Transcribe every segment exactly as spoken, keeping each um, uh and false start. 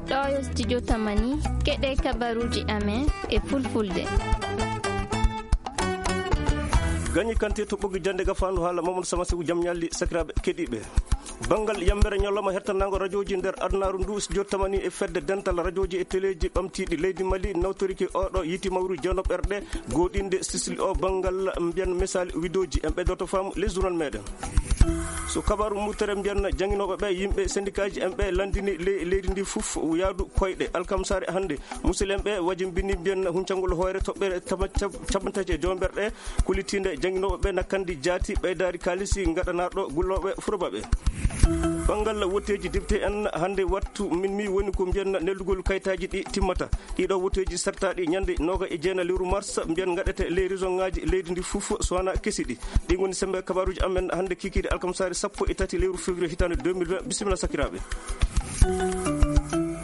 Ɗo yo studio Tamani, keɗe kabaruuji amen e fulfulde. Gañi Kanté to ɓoggi jannde gafaandu haala Mamadou Sama Seku, jam ñalli sakiraaɓe keɗiiɓe. Banngal yambere ñalawma hertanaango rajooji nder adunaaru ndu, studio Tamani e fedde dental rajooji e teleeji ɓamtiiɗi leydi Mali nawtorike oɗo yiiti mawru jeenooɓerɗe gooɗinde sisli o banngal mbiyan misali widooji. En ɓeydoto faamu les journal meɗen. So kabaaru murtere mbiyan jannginooɓe ɓe, yimɓe sendikaaji en ɓe lanndini le-, leydi ndi fof yaadu koyɗe alkamsaare hannde. Musidɓe ɓe wajimbini mbiyan huncangol hoore toɓɓere tama-, cab-, capanɗe tati e jowmberɗe. Kullitiinde jannginooɓe ɓe na kandi jaati ɓeydaari kaalisi ngaɗanaaɗo gullooɓe furoba ɓe. Banngal wotteeji député en hannde wattu min mi woni ko mbiyan neldugol kaytaaji ɗi timmata. Ɗiɗo wotteeji sartaaɗi ñande nooga e jeena lewru mars mbiyan ngaɗete ley région ŋaaji leydi ndi fof so wona kesi ɗi. Ɗi ngoni sembe kabaaruuji amen hannde kikiiɗe alkamsaare sappo e tati lewru février hitaande deux mille vingt. Bisimilla sakiraaɓe.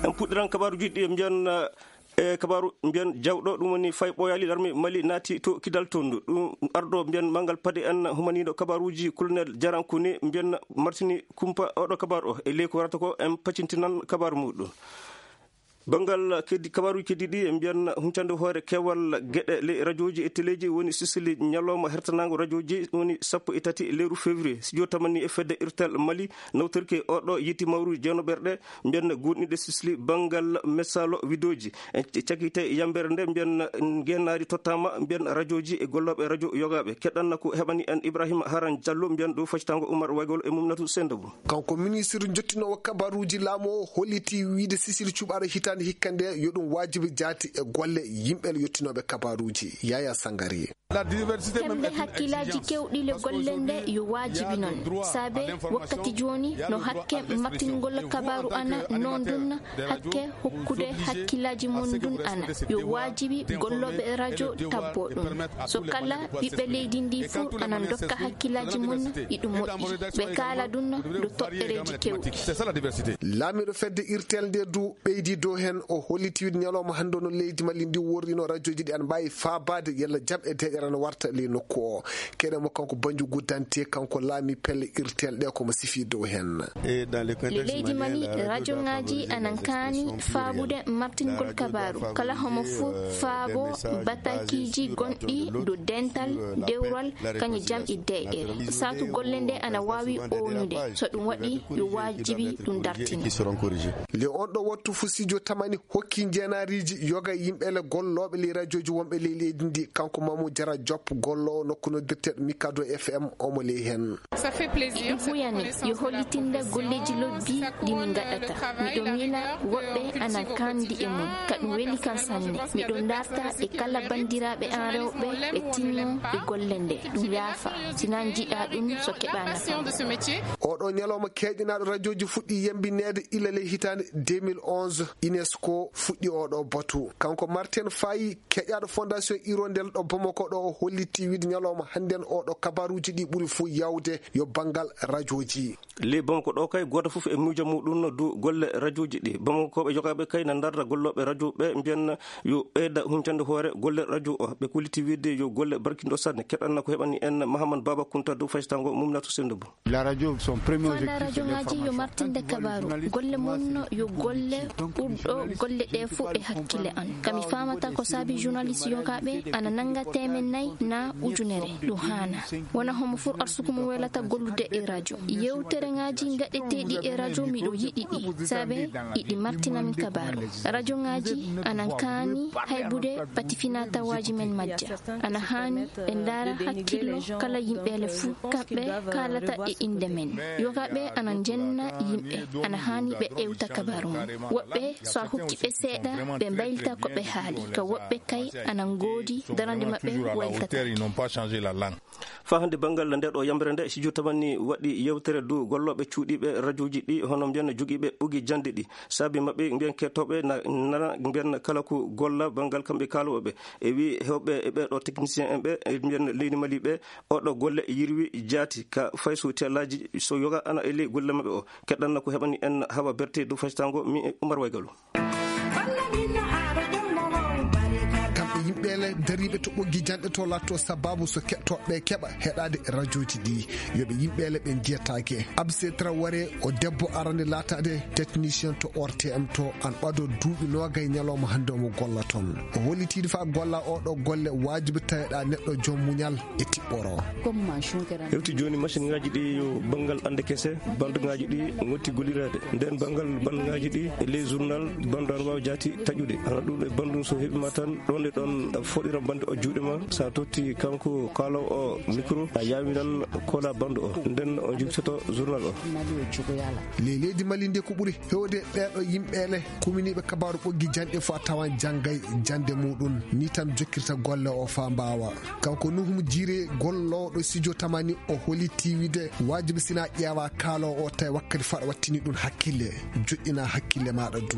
En puɗɗiran kabaaruuji ɗi mbiyan, eh, e kabaaru mbiyan jawɗo, ɗum woni fay ɓooyaali larme Mali naati to kidal tondu. Ɗum arɗo mbiyan mangal paɗe en humaniiɗo kabaaruuji colonel Jarankuni mbiyan martini kumpa oɗo kabaaru o. E ley ko warata ko en pacintinan kabaaru muɗum. Banngal keddi, kabaaruuji keddiiɗi, e mbiyan huncande hoore keewal geɗe ley rajooji e teleeji woni sisili ñalawma hertanaango rajooji woni sappo e tati lewru février. Studio Tamani e fedde Irtel Mali nawtorke oɗo yiiti mawru jeenooɓerɗe mbiyan goonɗinɗe sisili banngal mesalo widooji. En cakite yambere nde mbiyan ngeenaari tottaama mbiyan rajooji e gollooɓe rajo yogaaɓe. Keɗanna ko heɓani en Ibrahima Haran Diallo mbiyan ɗo facitaango Umar Waygol e Mumnatu Sendabo. Kanko ministre jottinoowo kabaruuji laamu o holliti wiide sisili cuɓaaɗo hitaande hikka nde yo ɗum waajibi jaati e golle yimɓe yottinooɓe kabaruuji. Yaya Sangari. Hemɓe hakkillaaji kewɗi le golle nde yo waajibi noon. Saabe wakkati jooni no hakke martingol kabaaru ana noon ɗum hakke hokkude hakkillaaji mum ɗum ana yo waajibi gollooɓe rajo tabbo ɗum. So kala ɓiɓɓe leydi ndi fuu ana dokka hakkillaaji mum, iɗum moƴƴi. Ɓe kaala ɗum ɗo toɓɓereeji kewɗi. Laamiiɗo fedde Irtel nde du ɓeydi dow heen, o holliti wiide ñalawma hannde no leydi Mali ndi worrino rajooji ɗi ana mbaawi faabaade yalla jam e deeƴere ana warta ley nokku o. Keɗen mo kanko Banjugu Dante, kanko laami pelle Irtel ɗe ko mo sifi dow heen. E leydi Mali, rajo ŋaaji anan kaani faabude martingol kabaaru. Kala homo fuu faabo batakiiji gonɗi dow dental, dewral, kañum jam e deeƴere. Saatu golle nde ana waawi ownude. So ɗum waɗi, yo waajibi ɗum dartine. Le on ɗo wattu fu studio Tamani hokki njeenaariiji yoga yimɓe le gollooɓe ley rajooji wonɓe ley leydi ndi. Kanko Mamu Jara Diop, golloowo nokku noddirteeɗo Mikado F M, omo ley heen. Ɗum huyani yo hollitinde golleeji lobbi ɗi min ngaɗata. Miɗo miila woɓɓe ana kandi e mum, ka ɗum weli kam sanne. Miɗo darta e kala banndiraaɓe an rewɓe ɓe tinno e golle nde. Ɗum yaafa, si nan jiɗa ɗum so keɓa nafa. Oɗo ñalawma keeƴinaaɗo rajooji fuɗɗi yembineede ila ley hitaande deux mille onze, UNESCO fuɗɗi oɗo batu. Kanko Martin Faye, keƴaaɗo Fondation Hirondelle ɗo Bamako ɗo, o holliti wiide ñalawma hannden oɗo kabaruuji ɗi ɓuri fuu yawde yo banngal rajooji. Ley Bamako ɗo kay, gooto fof e miijo muɗum no du golle rajooji ɗi. Bamakokooɓe yogaaɓe kay na ndarda gollooɓe rajo ɓe, mbiyan yo ɓeyda huncande hoore golle rajo o. Ɓe kulliti wiide yo golle barkinɗo sanne. Keɗanna ko heɓani en Mahamad Baba Kunta dow faysango Mumnatu Sendou Bou. Faanda rajo ŋaaji yo martinde kabaaru. Golle mum no yo golle ɓurɗo golle ɗe fof e hakkille an. Ka mi faamata ko saabi journaliste yogaaɓe ana nannga teemen nayi na ujunere. Ɗum haana. Wona homo fuu arsuku mum welata gollude e rajo. Yewtere ŋaaji ngaɗeteeɗi e rajo miɗo yiɗi ɗi. Saabe iɗi martina min kabaaru. Rajo ŋaaji ana kaani haybude pati finaa tawaaji men majja. Ana haani ɓe ndaara hakkillo kala yimɓeele fuu, kamɓe kaalata e innde men. Yogaaɓe ana njenna yimɓe, ana haani ɓe ewta kabaaru mum. Woɓɓe, so a hokki ɓe seeɗa, ɓe mbaylita ko ɓe haali. Ka woɓɓe kay, ana ngoodi darande maɓɓe wayltata. Faa hannde banngal nde ɗo yamre nde, studio Tamani waɗi yewtere dow gollooɓe cuuɗiiɓe rajooji ɗi, hono mbiyan jogiiɓe ɓogi jannde ɗi. Saabi maɓɓe mbiyan kettooɓe na, nana mbiyan kala ko golla banngal kamɓe kaalooɓe ɓe. E wi heewɓe e ɓeeɗo technicien en ɓe, e mbiyan leydi Mali ɓe, oɗo golle yirwi jaati ka fay so tellaaji so yoga ana e ley golle maɓɓe o. Keɗanna ko heɓani en Hawa Berte dow faysango mi e Umar Waygalo. Kamɓe Ɓeele dariiɓe to ɓoggi janɗe to laatto sababu so keɗotooɓe keɓa heɗaade rajooji ɗi. Yo ɓe yimɓeele ɓe njiyataake. Abse Traoré o debbo arande laataade technicien to O R T M to an ɓado duuɓi noogay ñalawma hannde omo golla toon. O hollitiide fa golla oɗo golle waajibi taweɗa neɗɗo joom muñal e tiɓɓoro. Hewti jooni machine ngaji ɗi yo banngal ande kese, bande ngaji ɗi ngotti gollireede. Nden banngal bande ngaji ɗi e ley journal bande ana waawi jaati taƴude. Hana ɗum e bande so heɓima tan ɗon e ɗon foɗira bande o juuɗe ma. Sa totti kanko kaalaw o micro, a yaawi nan kola bande o. Nden o jibtoto journal o. Ley leydi Mali nde ko ɓuri hewde ɓeeɗo yimɓeele kuminiiɓe kabaaru ɓoggi janɗe fof a tawan janngay jannde muɗum. Ni tan jokkirta golle o faa mbaawa. Kanko Nuhum Jiire gollooɗo studio Tamani o holiti wide waajibi sina ƴeewa kaalo o tawi wakkati faɗa wattini ɗum hakkille. Joƴƴina hakkille maaɗa du.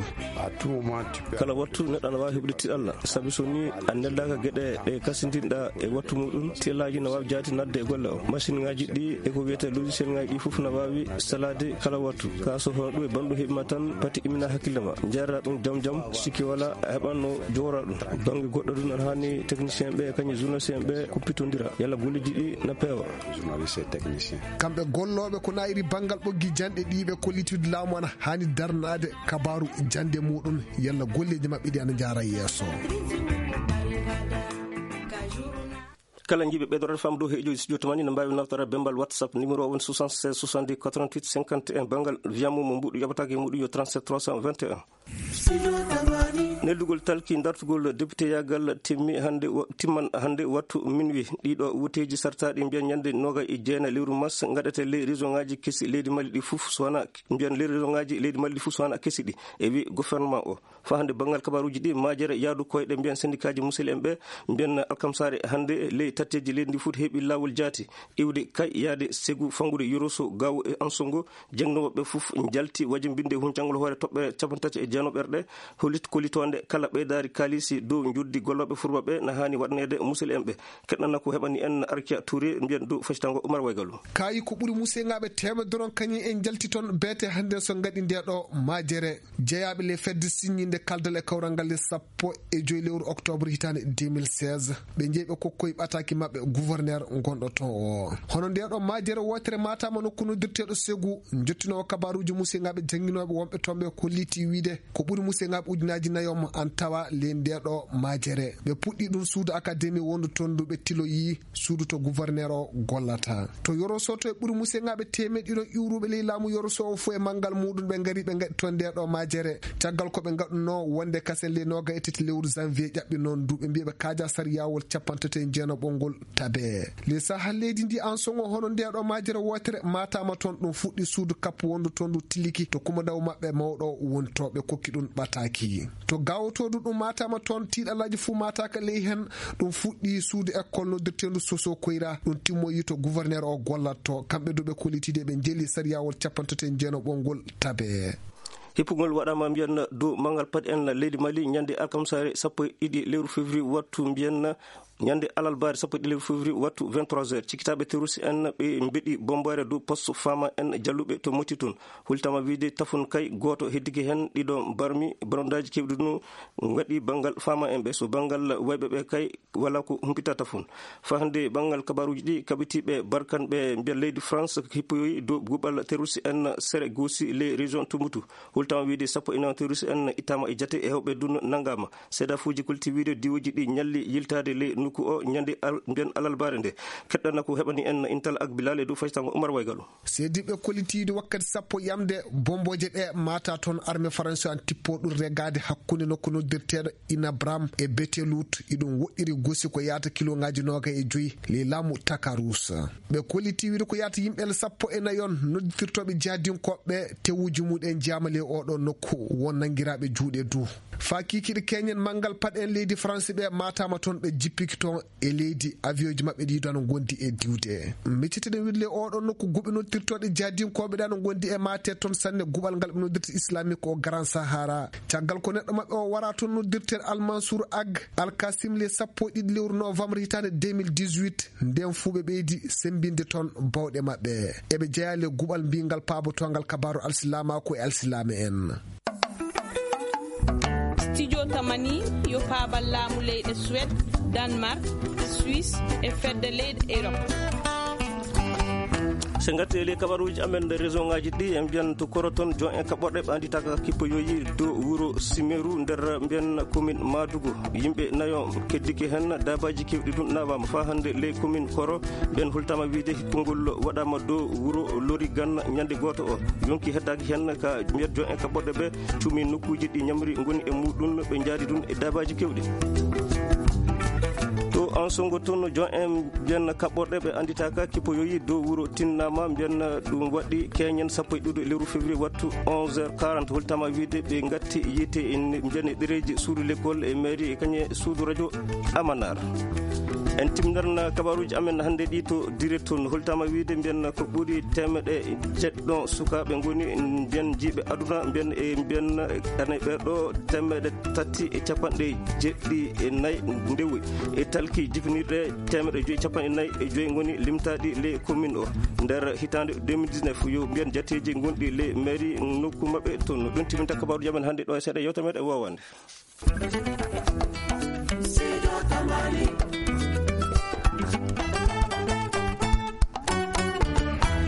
Kala wattu neɗɗo ana waawi heɓude tiɗalla. Sabi so ni a neldaaka geɗe ɗe kasindinɗa e wattu muɗum, tiɗallaaji na waawi jaati nadde e golle o. Machine ngaji ɗi e ko wiyete logiciel ngaji ɗi fof na waawi salaade kala wattu. Ka so hono ɗum e bandu heɓima tan pati imina hakkille ma. Jeerata ɗum jam jam, sikki wala a heɓanno jowra ɗum. Bange goɗɗo ɗum ana hani technicien ɓe kañum journaliste en ɓe kuppitondira. Yalla golleji ɗi na peewa. Journaliste et technicien. Kamɓe gollooɓe ko naayiri banngal ɓoggi janɗe ɗi ɓe kollitude laamu ana hani darnaade kabaaru jannde muɗum yalla golleji maɓɓe ɗi ana njaara yeeso. Kala jiiɓe ɓeydorade fam dow heejo studio Tamani no mbaawi nawtore bembal WhatsApp numéro o woni soixante-seize soixante-dix quatre-vingt-huit cinquante et un. Banngal via mo mo mbuɗu yoɓataake e muɗum yo trente-sept trois cent vingt et un. Neldugol talki dartugol député yaagal timmi hannde wa-, timman hannde wattu minuit. Ɗiɗo wuteeji sartaaɗi mbiyan ñande noga e jeena lewru mars ngaɗete ley région ngaji kesi leydi Mali ɗi fof so wana mbiyan ley région ngaji leydi Mali ɗi fof so wana kesi ɗi. E wi gouvernement o. Fa hannde banngal kabaruuji ɗi majere yaadu koyɗe mbiyan syndicat ji musel en ɓe mbiyan alkamsare hannde ley tatteji leydi ndi fof heɓi laawol jaati. Iwde kay yaade segu fangude yoroso gawo e anso ngo. Jannginooɓe ɓe fof njalti wajimbinde huncangol hoore toɓɓere cappanɗe tati e jeenooɓere ɗe. Holit-, kolitoonde kala ɓeydaari kaalisi dow njoddi gollooɓe furba ɓe na haani waɗaneede musel en ɓe. Keɗnana ko heɓani en Arkia Touré mbiyen dow facitango Oumar Waygalu. Kaayi ko ɓuri museyngaaɓe teemedere on kañum en njalti toon beete hannde so ngaɗi nde ɗo majere. Jeyaaɓe le fedde siññinde kaldal e kawral ngal le sappo e joy lewru octobre hitaande deux mille seize. Ɓe njeyi ɓe kokkoyi ɓataaki maɓɓe gouverneur gonɗo toon o. Hono nde ɗo majere wootere matama nokku noddirteeɗo Segu, njottinoowo kabaruuji museyngaaɓe jannginooɓe wonɓe toon ɓe kolliti wiide ko ɓuri museyngaaɓe ujunaaji nayo mo an tawa ley nde ɗo majere. Ɓe puɗɗi ɗum suudu akademi wondu toon ndu ɓe tiloyi suudu to gouverneur o gollata. To Yoroso to e ɓuri museyngaaɓe teemeɗɗe ɗiɗon iwruɓe ley laamu Yoroso o fof e manngal muɗum ɓe ngari ɓe ngaɗi toon nde ɗo majere. Caggal ko ɓe ngaɗunoo wonde kasen ley noga e tati lewru janvier ƴaɓɓi noon ndu ɓe mbiya ɓe kaaja sariyawol cappanɗe tati e jeenaɓol ngol tabe. Le saha leydi ndi an songo hono nde ɗo majere wootere matama toon ɗum fuɗɗi suudu kappu wondu toon ndu tiliki to kumandaw maɓɓe mawɗo woni to ɓe kokki ɗum ɓataaki. To gawotodu ɗum matama toon tiiɗalaji fuu mataka ley hen ɗum fuɗɗi suudu école noddirtendu Soso Koyra ɗum timmoyi to gouverneur o gollatto kamɓe duɓe kollitide ɓe jeli sariyawol cappanɗe tati e jeenaɓol ngol tabe. Hippugol waɗama mbiyan dow mangal paɗi en leydi Mali ñande alkamsare sappo e ɗiɗi lewru février wattu mbiyan ñande alalbare sappo e ɗiɗi lewru février wattu vingt-trois heures. Cikkitaɓe terroriste en ɓe mbeɗi bomboyre dow poste fama en jalluɓe to Moti toon. Hultama wiide tafun kay gooto heddike heen ɗiɗo barmi bonondaji kewɗi ɗum ngaɗi banngal fama en ɓe so banngal wayɓe ɓe kay wala ko humpitata fof. Fa hannde banngal kabaruuji ɗi kaɓitiiɓe barkanɓe mbiya leydi France hippoyoyi dow guɓal terroriste en sere goosi ley région Tumbutu. Hultama wiide sappo e nayo terroriste en ittama e jate e hewɓe dun nanngama. Seedafuuji kolti wiide diwooji ɗi ñalli yiltaade ley nokku o ñande al-, mbiyan alalbaare nde. Keɗɗana ko heɓani en intal ak bilal e dow faytango Umar Waygalu. Seediɓɓe kollitiiɗo wakkati sappo yamde bombooje ɗe maata toon armée faransi an tippo ɗum regaade hakkunde nokku noddirteeɗo Inabram e Betelut, iɗum woɗɗiri gosi ko yaata kilongaaji noogay e joyi ley laamu Takarus. Ɓe kolliti wiide ko yaata yimɓe sappo e nayon noddirtooɓe jihadinkooɓe tewuji muɗen jiyama ley oɗo nokku won nanngiraaɓe juuɗe du. Faa kiikiiɗe keñen manngal paɗen leydi Faransi ɓe maataama toon ɓe jippiki toon e leydi, avion ji maɓɓe ɗi ɗo no ngondi e diwde. Miccitiɗen wiɗle oɗo nokku guɓe noddirtooɗe jahdinkooɓe ɗa no ngondi e maate toon sanne guɓal ngal ɓe noddirta islamique o Grand Sahara. Caggal ko neɗɗo maɓɓe o wara toon noddirten Almansour Ag Alkasim le sappo e ɗiɗi lewru novembre hitaande deux mille dix-huit, nden fuu ɓe ɓeydi semmbinde toon bawɗe maɓɓe. Eɓe jeyaa le guɓal mbiyngal paabotoongal kabaaru alsilaamaaku e alsilaame en. Studio Tamani yo paabal laamu leyɗe Suwed, Danmark, Suisse e fedde leyɗe Erop. Se ngarti e ley kabaruuji amen nder région ngaji ɗi, en mbiyan to Koro toon, jon en kaɓɓorɗe ɓe annditaaka kippoyoyi dow wuro Simeru nder mbiyan commune Madugu. Yimɓe nayo keddike heen, daabaaji keewɗi ɗum nawaama faa hannde ley commune Koro. Ɓeen hultama wiide konngol waɗaama dow wuro Lori Ganna ñande gooto o. Yonki heddaaki heen ka mbiyan jon en kaɓɓorɗe ɓe. Cuumi nokkuuji ɗi ñamri ngoni e muuɗum, ɓe njaadi ɗum e daabaaji keewɗi. To Ansongo toon, jon en mbiyan kaɓɓorɗe ɓe annditaaka kippoyoyi dow wuro tinnaama, mbiyan ɗum waɗi keñen sappo e ɗiɗo lewru février wattu onze heures quarante, holtama wiide ɓe ngatti yiite e mbiyan e ɗereeji suudu l'école e mairie e kañe suudu radio Amanar. En timnarna kabaruuji amen hannde ɗi to Direct toon, holtama wiide mbiyan ko ɓuri teemeɗe jeɗɗo sukaaɓe ngoni mbiyan jiiɓe aduna, mbiyan e mbiyan ene ɓeɗo teemeɗe tati e capanɗe jeɗɗi e nayi ndewoy e talki jifinirɗe teemeɗe joyi capanɗe nayi e joyi ngoni limtaaɗi ley commune o nder hitaande deux mille dix-neuf. Yo mbiyan jateeji ngonɗi ley mairie nokku maɓɓe toon. Ɗum timinta kabaruuji amen hannde ɗo e seeɗa yewtere meɗen wowande.